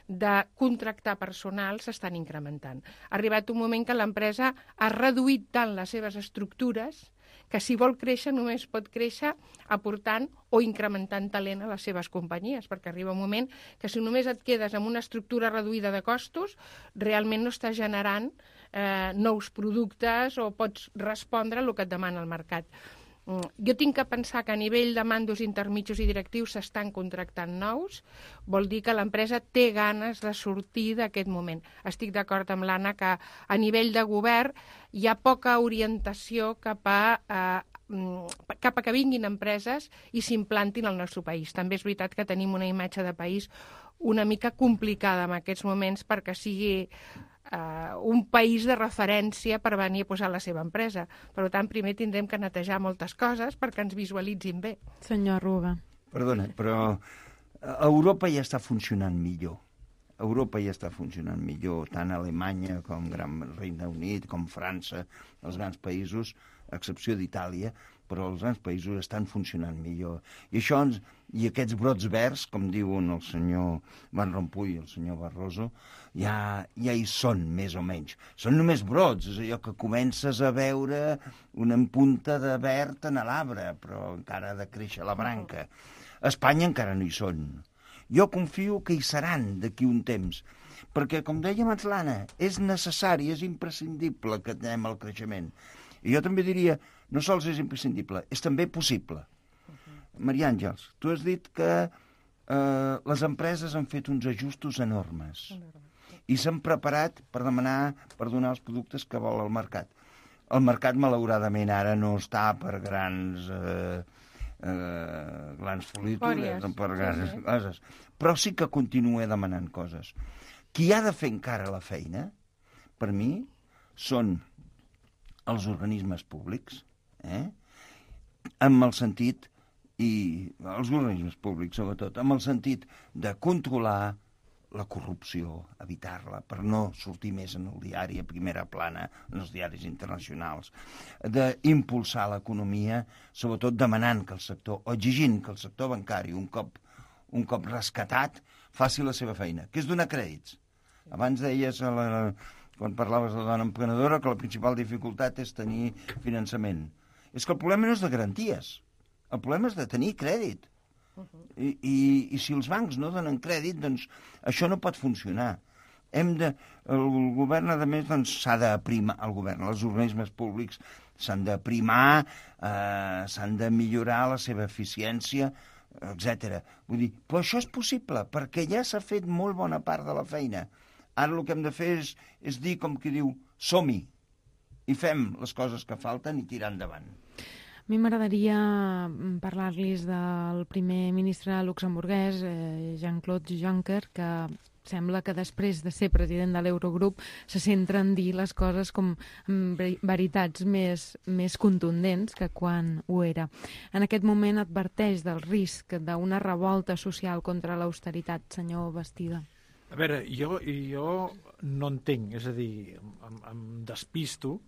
de contractar personal s'estan incrementant. Ha arribat un moment que l'empresa ha reduït tant les seves estructures que si vol créixer només pot créixer aportant o incrementant talent a les seves companyies, perquè arriba un moment que si només et quedes amb una estructura reduïda de costos, realment no estàs generant nous productes o pots respondre a el que et demana el mercat. Jo tinc que pensar que a nivell de mandos intermitjos i directius s'estan contractant nous, vol dir que l'empresa té ganes de sortir d'aquest moment. Estic d'acord amb l'Anna que a nivell de govern hi ha poca orientació cap a que vinguin empreses i s'implantin al nostre país. També és veritat que tenim una imatge de país una mica complicada en aquests moments perquè sigui un país de referència per venir a posar la seva empresa. Per tant, primer tindrem que netejar moltes coses perquè ens visualitzin bé. Senyor Arruga. Perdona, però Europa ja està funcionant millor. Europa ja està funcionant millor, tant Alemanya com Gran Regne Unit, com França, els grans països, a excepció d'Itàlia, però els grans països estan funcionant millor. I aquests brots verds, com diuen el senyor Van Rompuy i el senyor Barroso, ja hi són, més o menys. Són només brots, és allò que comences a veure una punta de verd en l'arbre, però encara ha de créixer la branca. A Espanya encara no hi són. Jo confio que hi seran d'aquí un temps, perquè, com deia abans l'Anna, és necessari, és imprescindible que anem al creixement. I jo també diria, no sols és imprescindible, és també possible. Maria Àngels, tu has dit que les empreses han fet uns ajustos enormes i s'han preparat per donar els productes que vol el mercat. El mercat, malauradament, ara no està per grans folitures, per grans coses, però sí que continua demanant coses. Qui ha de fer encara la feina, per mi, són els organismes públics, amb el sentit, i els organismes públics, sobretot, amb el sentit de controlar la corrupció, evitar-la, per no sortir més en el diari a primera plana, en els diaris internacionals, d'impulsar l'economia, sobretot demanant que el sector, o exigint que el sector bancari, un cop rescatat, faci la seva feina, que és donar crèdits. Abans deies, quan parlaves de la dona emprenedora, que la principal dificultat és tenir finançament. És que el problema no és de garanties, el problema és de tenir crèdit. I si els bancs no donen crèdit, doncs això no pot funcionar. El govern, a més, s'ha d'aprimar, els organismes públics s'han d'aprimar, s'han de millorar la seva eficiència, etc. Vull dir, però això és possible, perquè ja s'ha fet molt bona part de la feina. Ara el que hem de fer és dir, com qui diu, som-hi, i fem les coses que falten i tirar endavant. A mi m'agradaria parlar-los del primer ministre luxemburguès, Jean-Claude Juncker, que sembla que després de ser president de l'Eurogrup se centra en dir les coses com veritats més contundents que quan ho era. En aquest moment adverteix del risc d'una revolta social contra l'austeritat, senyor Bastida. A veure, jo no entenc, és a dir, em despisto,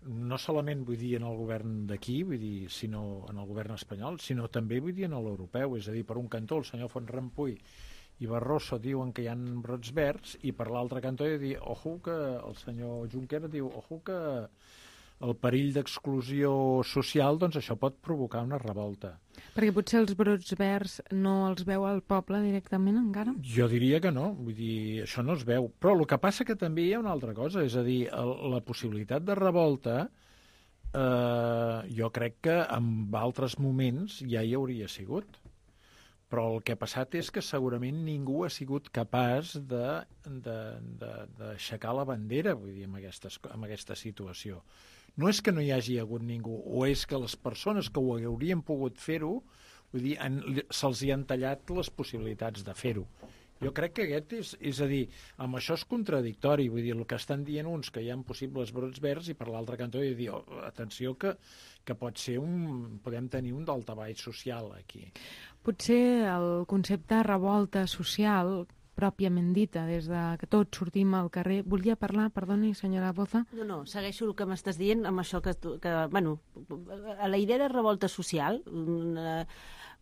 no solament vull dir en el govern d'aquí, vull dir, sinó en el govern espanyol, sinó també vull dir en l'europeu, és a dir, per un cantó el senyor Van Rompuy i Barroso diuen que hi ha brots verds i per l'altre cantó he de dir, ojo, que el senyor Juncker diu, ojo, que el perill d'exclusió social, doncs això pot provocar una revolta. Perquè potser els brots verds no els veu el poble directament encara? Jo diria que no, vull dir, això no es veu. Però el que passa que també hi ha una altra cosa, és a dir, la possibilitat de revolta, jo crec que en altres moments ja hi hauria sigut. Però el que ha passat és que segurament ningú ha sigut capaç d'aixecar la bandera, vull dir, en aquesta situació. No és que no hi hagi hagut ningú, o és que les persones que ho haurien pogut fer-ho, vull dir, se'ls hi han tallat les possibilitats de fer-ho. Jo crec que aquest és a dir, amb això és contradictori, vull dir, el que estan dient uns que hi ha possibles brots verds i per l'altre cantó he de dir, atenció que pot ser podem tenir un daltabaix social aquí. Potser el concepte revolta social pròpiament dita, des que tots sortim al carrer. Volia parlar, perdoni, senyora Boza? No, segueixo el que m'estàs dient amb això que bueno, a la idea de revolta social,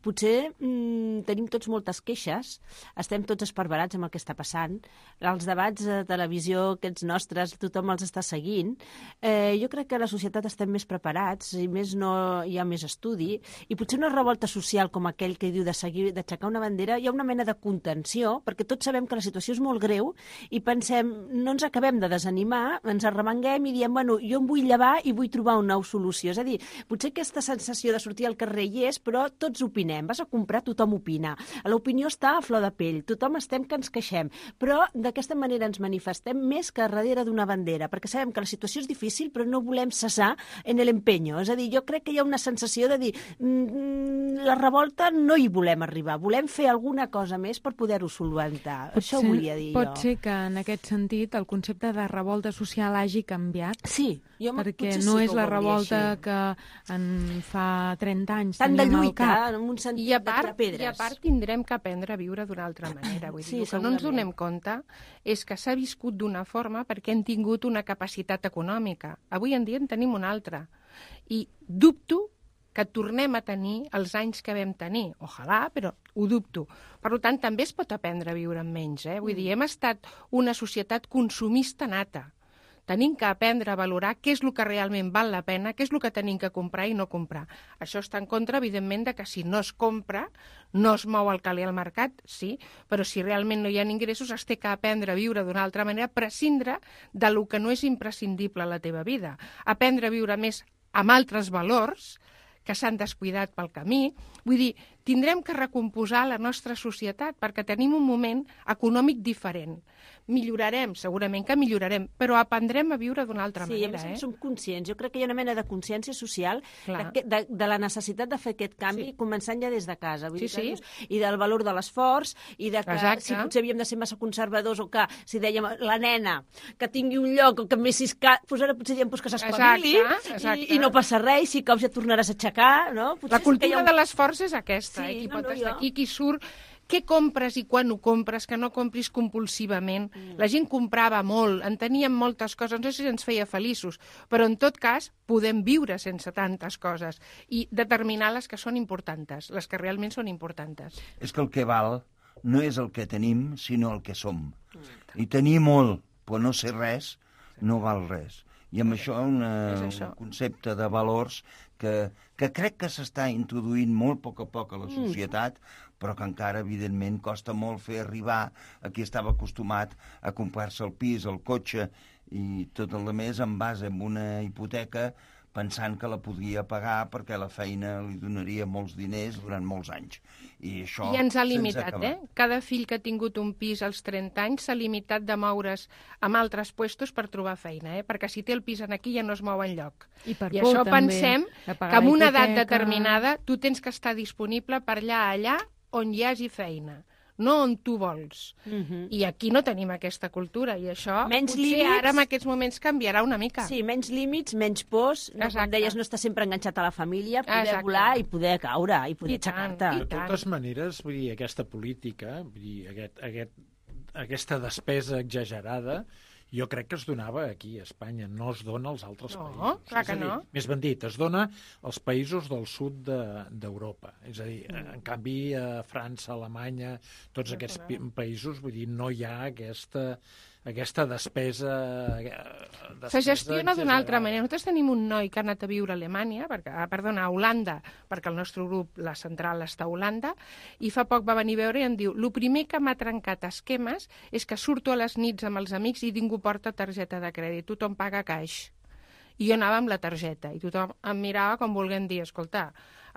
potser tenim tots moltes queixes, estem tots esparverats amb el que està passant, els debats de televisió, aquests nostres, tothom els està seguint. Jo crec que a la societat estem més preparats i més no hi ha més estudi, i potser una revolta social com aquell que diu d'aixecar una bandera, hi ha una mena de contenció, perquè tots sabem que la situació és molt greu i pensem, no ens acabem de desanimar, ens arremanguem i diem, bueno, jo em vull llevar i vull trobar una nova solució. És a dir, potser aquesta sensació de sortir al carrer hi és, però tots opinem. Vas a comprar, tothom opina. L'opinió està a flor de pell, tothom estem que ens queixem, però d'aquesta manera ens manifestem més que darrere d'una bandera, perquè sabem que la situació és difícil, però no volem cessar en l'empenyo. És a dir, jo crec que hi ha una sensació de dir la revolta no hi volem arribar, volem fer alguna cosa més per poder-ho solventar. Això ho volia dir jo. Pot ser que en aquest sentit el concepte de revolta social hagi canviat? Sí. Perquè no és la revolta que en fa 30 anys tant de teníem al lluita, cap. en un sentit I a de tirar pedres. I a part tindrem que aprendre a viure d'una altra manera. Vull dir, el que no ens donem compte és que s'ha viscut d'una forma perquè hem tingut una capacitat econòmica. Avui en dia en tenim una altra. I dubto que tornem a tenir els anys que vam tenir. Ojalà, però ho dubto. Per tant, també es pot aprendre a viure amb menys. Vull dir, hem estat una societat consumista nata. Tenim que aprendre a valorar què és el que realment val la pena, què és el que tenim que comprar i no comprar. Això està en contra, evidentment, de que si no es compra, no es mou el caler al mercat, sí, però si realment no hi ha ingressos, es té que aprendre a viure d'una altra manera, prescindre de lo que no és imprescindible a la teva vida. Aprendre a viure més amb altres valors que s'han descuidat pel camí. Vull dir, tindrem que recomposar la nostra societat perquè tenim un moment econòmic diferent. Millorarem, segurament que millorarem, però aprendrem a viure d'una altra manera. Sí, a més en som conscients. Jo crec que hi ha una mena de consciència social de la necessitat de fer aquest canvi, començant ja des de casa. Vull dir, i del valor de l'esforç, i de que si potser havíem de ser massa conservadors, o que si dèiem la nena que tingui un lloc o que més doncs ara potser diem que s'espavili i no passa res, i si caus ja tornaràs a aixecar. No? La cultura de l'esforç és aquesta. Qui pot estar aquí, qui surt. Què compres i quan ho compres, que no compris compulsivament. La gent comprava molt, en teníem moltes coses, no sé si ens feia feliços, però en tot cas podem viure sense tantes coses i determinar les que són importants, les que realment són importants. És que el que val no és el que tenim, sinó el que som. I tenir molt, però no ser res, no val res. I amb això un concepte de valors que crec que s'està introduint molt a poc a la societat, però que encara, evidentment, costa molt fer arribar a qui estava acostumat a comprar-se el pis, el cotxe i tot el més en base a una hipoteca, pensant que la podria pagar perquè la feina li donaria molts diners durant molts anys. I això ens ha limitat, Cada fill que ha tingut un pis als 30 anys s'ha limitat de moure's amb altres puestos per trobar feina, perquè si té el pis aquí ja no es mou enlloc. I això pensem que en una edat determinada tu tens que estar disponible per allà on hi hagi feina, no on tu vols. I aquí no tenim aquesta cultura, i això potser ara en aquests moments canviarà una mica. Sí, menys límits, menys pors, com deies, no estar sempre enganxat a la família, poder volar i poder caure, i poder aixecar-te. De totes maneres, vull dir, aquesta política, vull dir, aquesta despesa exagerada, jo crec que es donava aquí, a Espanya, no es dona als altres països. No, clar que no. Més ben dit, es dona als països del sud d'Europa. És a dir, en canvi, a França, Alemanya, tots aquests països, vull dir, no hi ha aquesta despesa se gestiona d'una altra manera. Nosaltres tenim un noi que ha anat a viure a Alemanya, a Holanda, perquè el nostre grup, la central, està a Holanda, i fa poc va venir a veure i em diu: el primer que m'ha trencat esquemes és que surto a les nits amb els amics i ningú porta targeta de crèdit, tothom paga caix. I jo anava amb la targeta, i tothom em mirava com volent dir: escolta,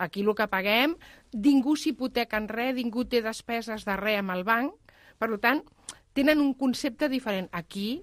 aquí el que paguem, ningú s'hipoteca en res, ningú té despeses de res amb el banc, per tant, tenen un concepte diferent. Aquí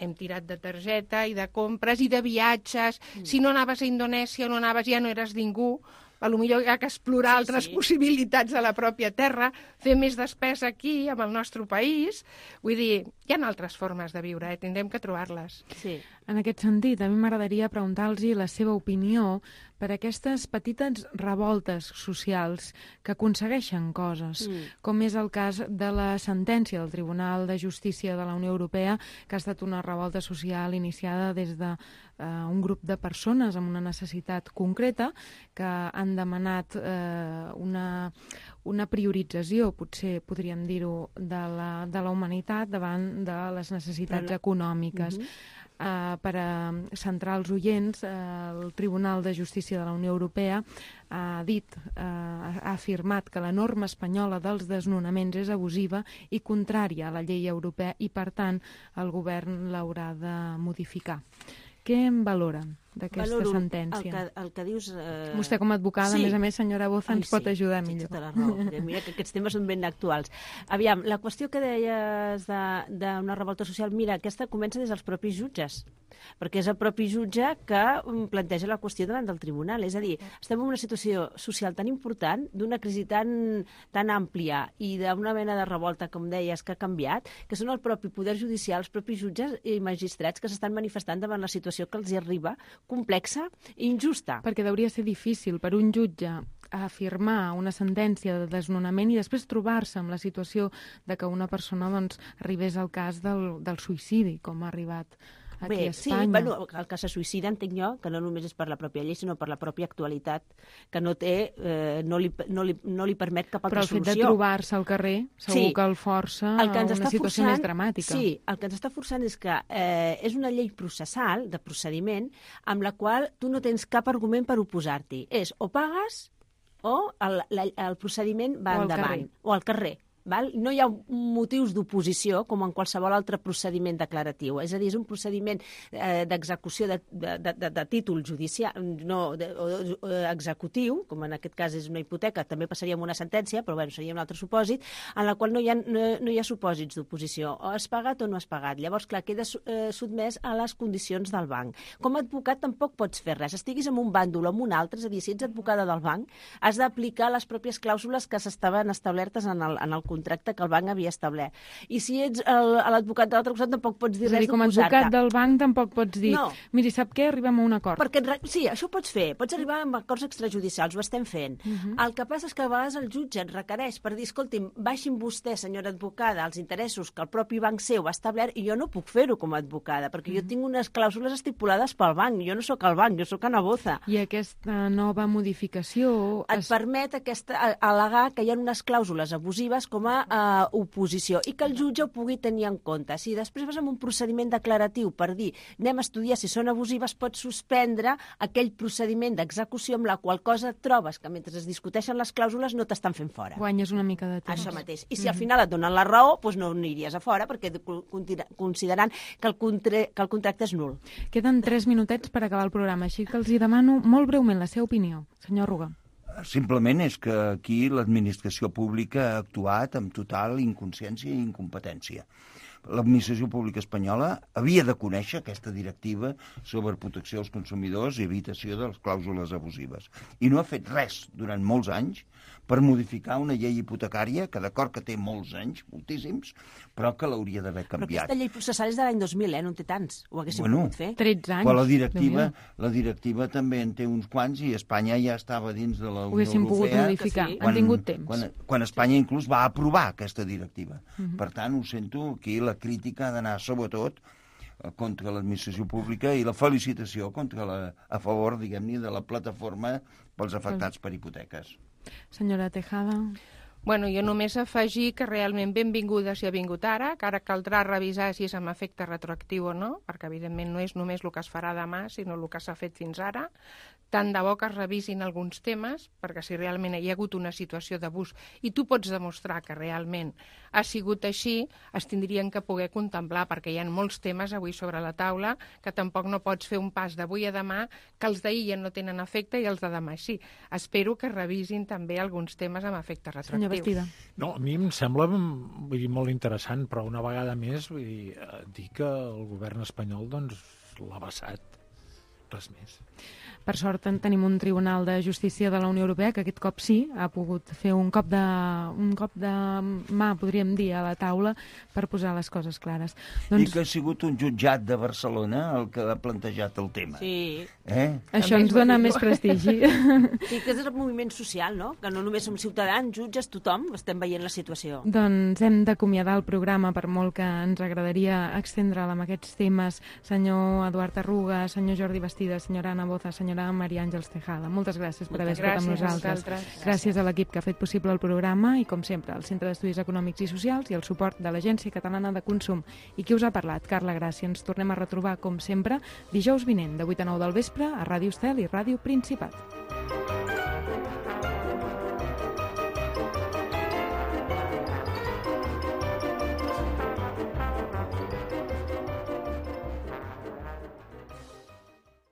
hem tirat de targeta i de compres i de viatges. Si no anaves a Indonèsia, no anaves, ja no eres ningú. Potser hi ha que explorar altres possibilitats a la pròpia terra, fer més despesa aquí, amb el nostre país. Vull dir, hi ha altres formes de viure, tindrem que trobar-les. Sí. En aquest sentit, a mi m'agradaria preguntar-los la seva opinió per aquestes petites revoltes socials que aconsegueixen coses, com és el cas de la sentència del Tribunal de Justícia de la Unió Europea, que ha estat una revolta social iniciada des d'un grup de persones amb una necessitat concreta que han han demanat una priorització, potser podríem dir-ho, de la humanitat davant de les necessitats econòmiques. Per centrar els oients, el Tribunal de Justícia de la Unió Europea ha afirmat que la norma espanyola dels desnonaments és abusiva i contrària a la llei europea i, per tant, el govern l'haurà de modificar. Què en valoren d'aquesta sentència? El que dius... Vostè com a advocada, a més, senyora Boza, ens pot ajudar millor. Tota la raó. Mira que aquests temes són ben actuals. Aviam, la qüestió que deies d'una revolta social, mira, aquesta comença des dels propis jutges, perquè és el propi jutge que planteja la qüestió davant del tribunal. És a dir, estem en una situació social tan important, d'una crisi tan àmplia i d'una mena de revolta, com deies, que ha canviat, que són el propi poder judicial, els propis jutges i magistrats que s'estan manifestant davant la situació que els hi arriba, complexa i injusta. Perquè hauria ser difícil per un jutge afirmar una sentència de desnonament i després trobar-se amb la situació de que una persona arribés al cas del suïcidi, com ha arribat aquí a Espanya. Sí, el que se suïcida, entenc jo, que no només és per la pròpia llei, sinó per la pròpia actualitat, que no li permet cap altra solució. Però el fet de trobar-se al carrer segur que el força a una situació més dramàtica. Sí, el que ens està forçant és que és una llei processal, de procediment, amb la qual tu no tens cap argument per oposar-t'hi. És o pagues o el procediment va endavant. O al carrer. Val? No hi ha motius d'oposició com en qualsevol altre procediment declaratiu. És a dir, és un procediment d'execució de títol judicial, executiu, com en aquest cas és una hipoteca, també passaria amb una sentència, però bueno, seria un altre supòsit, en la qual no hi ha supòsits d'oposició. O has pagat o no has pagat. Llavors, clar, queda sotmès a les condicions del banc. Com a advocat tampoc pots fer res. Estiguis en un bàndol o en un altre, és a dir, si ets advocada del banc, has d'aplicar les pròpies clàusules que s'estaven establertes en el contracte que el banc havia establert. I si ets l'advocat de l'altre costat tampoc pots dir res d'oposar-te. Com a advocat del banc tampoc pots dir, miri, sap què? Arribem a un acord. Sí, això ho pots fer. Pots arribar a acords extrajudicials, ho estem fent. El que passa és que a vegades el jutge et requereix per dir, escolti'm, baixin vostè, senyora advocada, els interessos que el propi banc seu ha establert i jo no puc fer-ho com a advocada, perquè jo tinc unes clàusules estipulades pel banc. Jo no sóc el banc, jo sóc Ana Boza. I aquesta nova modificació... Et permet al·legar que hi ha unes clàusules abusives com a oposició i que el jutge ho pugui tenir en compte. Si després vas amb un procediment declaratiu per dir anem a estudiar si són abusives, pots suspendre aquell procediment d'execució amb la qual cosa et trobes que mentre es discuteixen les clàusules no t'estan fent fora. Guanyes una mica de temps. Això mateix. I si al final et donen la raó, doncs no aniries a fora perquè considerant que el contracte és nul. Queden 3 minutets per acabar el programa, així que els hi demano molt breument la seva opinió. Senyor Ruga. Simplement és que aquí l'administració pública ha actuat amb total inconsciència i incompetència. L'administració pública espanyola havia de conèixer aquesta directiva sobre protecció dels consumidors i evitació de les clàusules abusives. I no ha fet res durant molts anys per modificar una llei hipotecària que d'acord que té molts anys, moltíssims, però que l'hauria d'haver canviat. Però aquesta llei processal és de l'any 2000, no en té tants. Ho haguéssim pogut fer. 13 anys. Però la directiva també en té uns quants i Espanya ja estava dins de la Unió Europea. Ho haguéssim pogut modificar, han tingut temps. Quan Espanya inclús va aprovar aquesta directiva. Per tant, ho sento, aquí la crítica ha d'anar sobretot contra l'administració pública i la felicitació a favor, diguem-ne, de la plataforma pels afectats per hipoteques. Senyora Tejada. Bueno, jo només afegir que realment benvinguda si ha vingut ara, que ara caldrà revisar si és amb efecte retroactiu o no, perquè evidentment no és només el que es farà demà, sinó el que s'ha fet fins ara. Tant de bo que es revisin alguns temes, perquè si realment hi ha hagut una situació d'abús i tu pots demostrar que realment ha sigut així, es tindrien que poder contemplar, perquè hi ha molts temes avui sobre la taula que tampoc no pots fer un pas d'avui a demà, que els d'ahir ja no tenen efecte i els de demà sí. Espero que revisin també alguns temes amb efecte retroactiu. Senyor Bastida. No, a mi em sembla molt interessant, però una vegada més dir que el govern espanyol l'ha vessat. Res més. Per sort tenim un Tribunal de Justícia de la Unió Europea que aquest cop sí ha pogut fer un cop de mà, podríem dir, a la taula per posar les coses clares. I que ha sigut un jutjat de Barcelona el que ha plantejat el tema. Sí. Això ens dona més prestigi. Sí, que és el moviment social, no? Que no només som ciutadans, jutges, tothom estem veient la situació. Doncs hem d'acomiadar el programa, per molt que ens agradaria extendre'l amb aquests temes. Senyor Eduard Arruga, senyor Jordi Bastida, Bastida, senyora Anna Boza, senyora Maria Àngels Tejada. Moltes gràcies per haver estat amb Gràcies a nosaltres. vosaltres. Gràcies a l'equip que ha fet possible el programa i, com sempre, al Centre d'Estudis Econòmics i Socials i el suport de l'Agència Catalana de Consum. I qui us ha parlat? Carla Gràcia. Ens tornem a retrobar, com sempre, dijous vinent, de 8 a 9 del vespre, a Ràdio Estel i Ràdio Principat.